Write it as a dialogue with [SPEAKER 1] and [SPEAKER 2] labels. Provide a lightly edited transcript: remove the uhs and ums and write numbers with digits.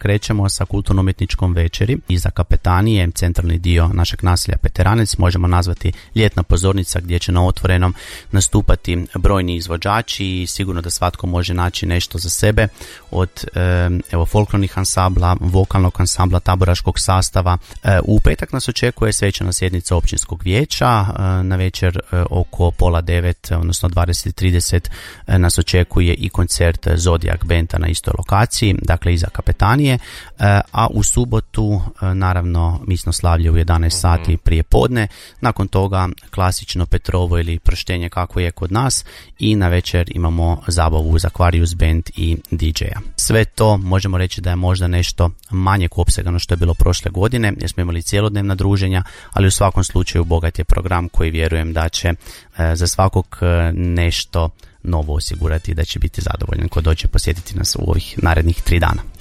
[SPEAKER 1] krećemo sa kulturno-umjetničkom večeri iza kapetanije, centralni dio našeg naselja Peteranec, možemo nazvati ljetna pozornica gdje će na otvorenom nastupati brojni izvođači i sigurno da svatko može naći nešto za sebe od folklornih ansambla, vokalnog ansambla, taboraškog sastava. U petak nas očekuje svečana sjednica općinskog vijeća, na večer oko 8:30, odnosno 20:30 nas očekuje i koncert Zodiac Benda na istoj lokaciji, dakle iza kapetanije, a u subotu naravno misnoslavlje u 11 sati prije podne, nakon toga klasično Petrovo ili prštenje kako je kod nas i na večer imamo zabavu uz Aquarius Band i DJ-a. Sve to možemo reći da je možda nešto manjeg opsega no što je bilo prošle godine jer smo imali cijelodnevna druženja, ali u svakom slučaju bogat je program koji vjerujem da će za svakog nešto novo osigurati i da će biti zadovoljan ko dođe posjetiti nas u ovih narednih 3 dana.